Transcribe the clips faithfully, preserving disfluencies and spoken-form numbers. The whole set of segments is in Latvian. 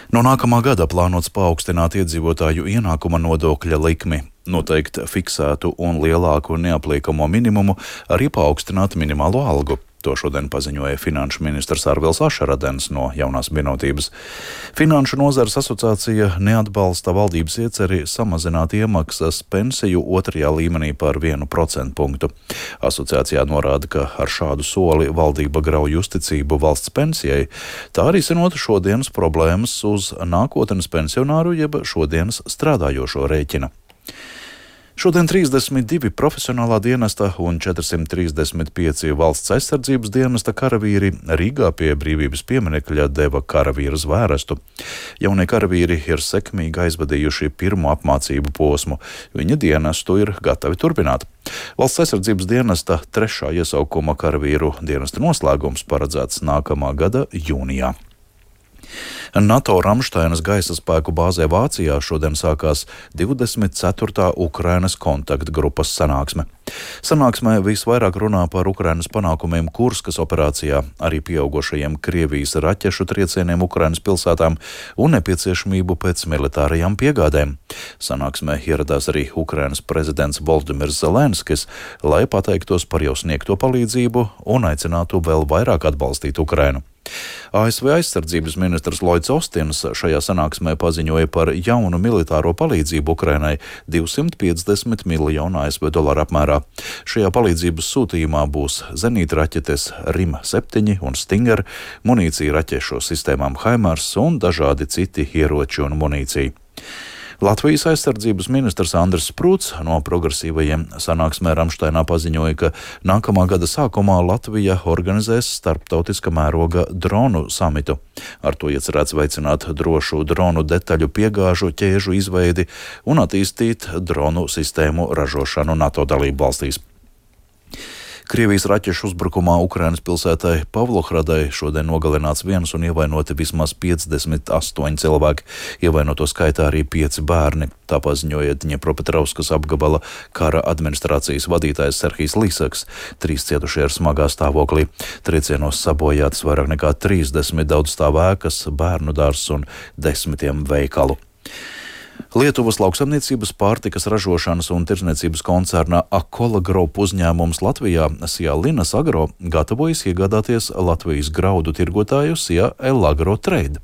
No nākamā gada plānots paaugstināt iedzīvotāju ienākuma nodokļa likmi, noteikt fiksētu un lielāku neapliekamo minimumu, arī paaugstināt minimālo algu. To šodien paziņoja finanšu ministrs Arvils Ašaradens no Jaunās vienotības. Finanšu nozares asociācija neatbalsta valdības ieceri samazināt iemaksas pensiju otrajā līmenī par vienu procentu punktu. Asociācijā norāda, ka ar šādu soli valdība grauj uzticību valsts pensijai, tā arī risinot šodienas problēmas uz nākotnes pensionāru jeb šodienas strādājošo rēķina. Šodien trīsdesmit divi profesionālā dienesta un četrsimt trīsdesmit pieci valsts aizsardzības dienesta karavīri Rīgā pie Brīvības pieminekļa deva karavīra zvērestu. Jaunie karavīri ir sekmīgi aizvadījuši pirmo apmācību posmu. Viņa dienestu ir gatavi turpināt. Valsts aizsardzības dienesta trešā iesaukuma karavīru dienesta noslēgums paredzēts nākamā gada jūnijā. NATO Ramšteinas gaisa spēku bāzē Vācijā šodien sākās divdesmit ceturtā Ukrainas kontaktgrupas sanāksme. Sanāksmē visvairāk runā par Ukrainas panākumiem Kurskas operācijā, arī pieaugušajiem Krievijas raķešu triecieniem Ukrainas pilsētām un nepieciešamību pēc militārajām piegādēm. Sanāksmē ieradās arī Ukrainas prezidents Volodimirs Zelenskis, lai pateiktos par jau sniegto palīdzību un aicinātu vēl vairāk atbalstīt Ukrainu. A S V aizsardzības ministrs Lloyds Austins šajā sanāksmē paziņoja par jaunu militāro palīdzību Ukrainai divsimt piecdesmit miljonu A S V dolāru apmērā. Šajā palīdzības sūtījumā būs zenītraķetes RIM septiņi un Stinger, munīcija raķešu sistēmām HIMARS un dažādi citi ieroči un munīcija. Latvijas aizsardzības ministrs Andris Sprūts no progresīvajiem sanāksmē Ramšteinā paziņoja, ka nākamā gada sākumā Latvija organizēs starptautiska mēroga dronu samitu. Ar to iecerēts veicināt drošu dronu detaļu piegāžu ķēžu izveidi un attīstīt dronu sistēmu ražošanu NATO dalību valstīs. Krievijas raķešu uzbrukumā Ukrainas pilsētai Pavlohradai šodien nogalināts viens un ievainoti vismaz piecdesmit astoņi cilvēki, ievainoto skaitā arī pieci bērni. Tā paziņoja Dņepropetrovskas apgabala kara administrācijas vadītājs Serhijs Līsaks. Trīs cietušie ir smagā stāvoklī. Triecienos sabojātas vairāk nekā trīsdesmit daudzstāvu ēkas, bērnu dārzs un desmitiem veikalu. Lietuvas lauksaimniecības, pārtikas ražošanas un tirdzniecības koncerna Akola Group uzņēmums Latvijā Sijā Linas Agro gatavojas iegādāties Latvijas graudu tirgotāju Sijā Elagro Trade.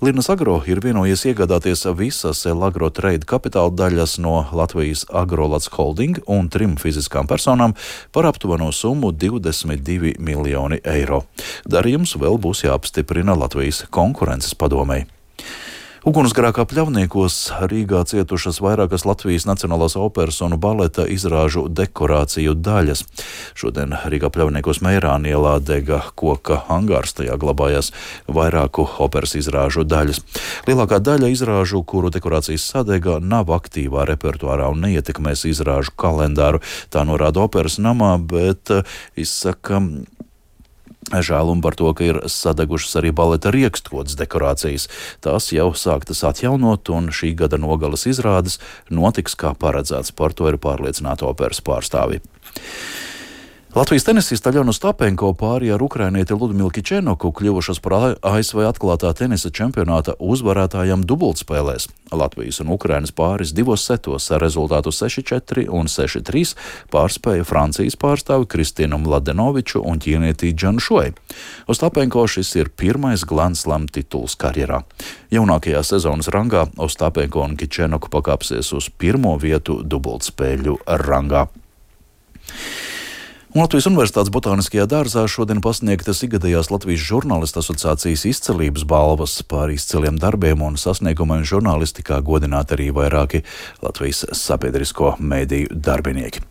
Linas Agro ir vienojies iegādāties visas Elagro Trade kapitāla daļas no Latvijas Agrolats Holding un trim fiziskām personām par aptuveno summu divdesmit divi miljoni eiro. Darījums vēl būs jāapstiprina Latvijas konkurences padomei. Ugunsgrēkā Pļavniekos Rīgā cietušas vairākas Latvijas Nacionālās operas un baleta izrāžu dekorāciju daļas. Šodien Rīgā Pļavniekos Meirāna ielā dega koka angārs, tajā glabājās vairāku operas izrāžu daļas. Lielākā daļa izrāžu, kuru dekorācijas sadega, nav aktīvā repertuārā un neietekmēs izrāžu kalendāru. Tā norāda operas namā, bet izsaka žēlumu par to, ka ir sadegušas arī baleta riekstkodas dekorācijas. Tās jau sāktas atjaunot, un šī gada nogales izrādes notiks kā paredzēts. Par to ir pārliecināti operas pārstāvji. Latvijas tenisista Aļona Ostapenko pāri ar ukrainieti Ludmilu Kičenoku kļuvušas par A S V atklātā tenisa čempionāta uzvarētājām dubultspēlēs. Latvijas un Ukrainas pāris divos setos ar rezultātu seši četri un seši trīs pārspēja Francijas pārstāvi Kristīnu Mladenoviču un ķīnieti Džanu Šuei. Ostapenko šis ir pirmais Grand Slam tituls karjerā. Jaunākajā sezonas rangā Ostapenko un Kičenoku pakāpsies uz pirmo vietu dubultspēļu rangā. Latvijas Universitātes botāniskajā dārzā šodien pasniegtas ikgadējās Latvijas žurnālistu asociācijas izcelības balvas. Par izciliem darbiem un sasniegumiem žurnālistikā godināti arī vairāki Latvijas sabiedrisko mediju darbinieki.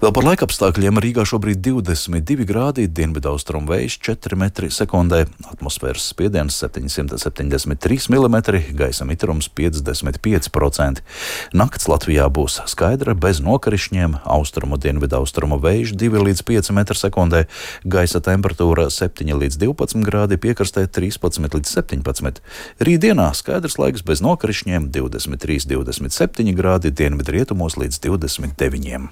Vēl par laikapstākļiem Rīgā šobrīd divdesmit divi grādi, dienvidaustrumu vējš četri metri sekundē, atmosfēras spiediens septiņsimt septiņdesmit trīs milimetri, gaisa mitrums piecdesmit pieci procenti. Nakts Latvijā būs skaidra, bez nokrišņiem, austrumu dienvidaustrumu vējš divi līdz pieci metri sekundē, gaisa temperatūra septiņi līdz divpadsmit grādi, piekrastē trīspadsmit līdz septiņpadsmit. Rītdienā skaidrs laiks bez nokrišņiem, divdesmit trīs līdz divdesmit septiņi grādi, dienvidrietumos līdz divdesmit deviņi.